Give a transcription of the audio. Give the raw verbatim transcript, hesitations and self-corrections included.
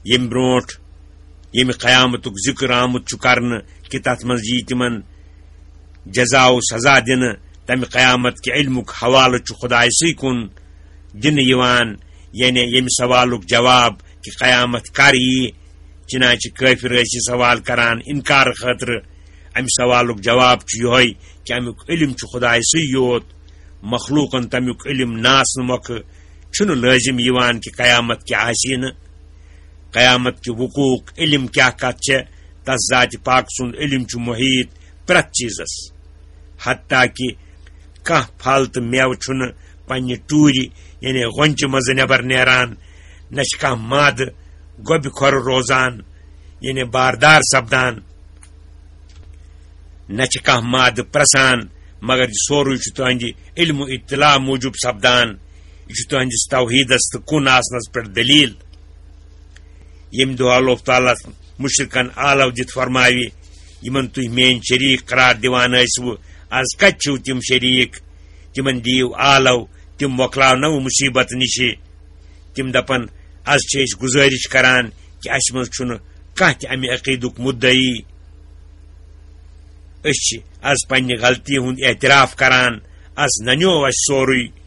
ییٚمہِ برونٛٹھ ییٚمہِ قیامتُک ذِکر آمُت چھُ کرنہٕ کہِ تَتھ منٛز یِیہِ تِمن جزا و سزا دِنہٕ، تَمہِ قیامت کہِ علمُک حوالہٕ چھُ خۄدایہِ سٕے کُن دِنہٕ یِوان، یعنی ییٚمہِ سوالُک جواب کہِ قیامت کر یِیہِ۔ چنانچہ کٲفِر ٲسۍ یہِ سوال کران اِنکار خٲطرٕ، اَمہِ سوالُک جواب چھُ یِہوٚے کہِ اَمیُک علم چھُ خۄدایہِ سٕے یوت، مخلوقن تَمیُک علم نہٕ آسنہٕ مۄکھٕ چھُنہٕ لٲزِم یِوان کہِ قیامت کیٛاہ آسہِ نہٕ۔ قیامت کہِ وقوعُک علم کیٛاہ کتھ چھےٚ، تس ذاتِ پاک سُنٛد علم چھُ محیط پرٛٮ۪تھ چیٖزس۔ حتیٰ کہِ کانٛہہ پھل تہٕ مٮ۪وٕ چھُنہٕ پننہِ ٹوٗرِ، یعنی غۄنچہِ منٛزٕ نٮ۪بر نیران، نہ چھِ کانٛہہ مادٕ گۄبہِ کھۄرٕ روزان، یعنی باردار سپدان، نہ چھِ کانٛہہ مادٕ پرٛسان، مگر یہِ سورُے چھُ تُہنٛدِ علم و اطلاع موٗجوٗب سپدان۔ یہِ چھُ تُہنٛدِس توحیٖدس تہٕ کُن آسنس پٮ۪ٹھ دٔلیٖل۔ ییٚمہِ دۄہ اللہ تعالیٰ مُشرِکن آلو دِتھ فرماوِ، یِمن تُہۍ میٲنۍ شریٖک قرار دِوان ٲسِوٕ، از کتہِ چھِو تِم شریٖک؟ تِمن دِیِو آلو، تِم مۄکلاونو مُصیٖبت نِشہِ۔ تِم دپن، از چھِ أسۍ گُزٲرِش کران کہِ اسہِ منٛز چھُنہٕ کانٛہہ تہِ امہِ عقیٖدُک مُدعی۔ أسۍ چھِ از پننہِ غلطی ہُنٛد اعتراف کران، از ننیو اسہِ سورُے۔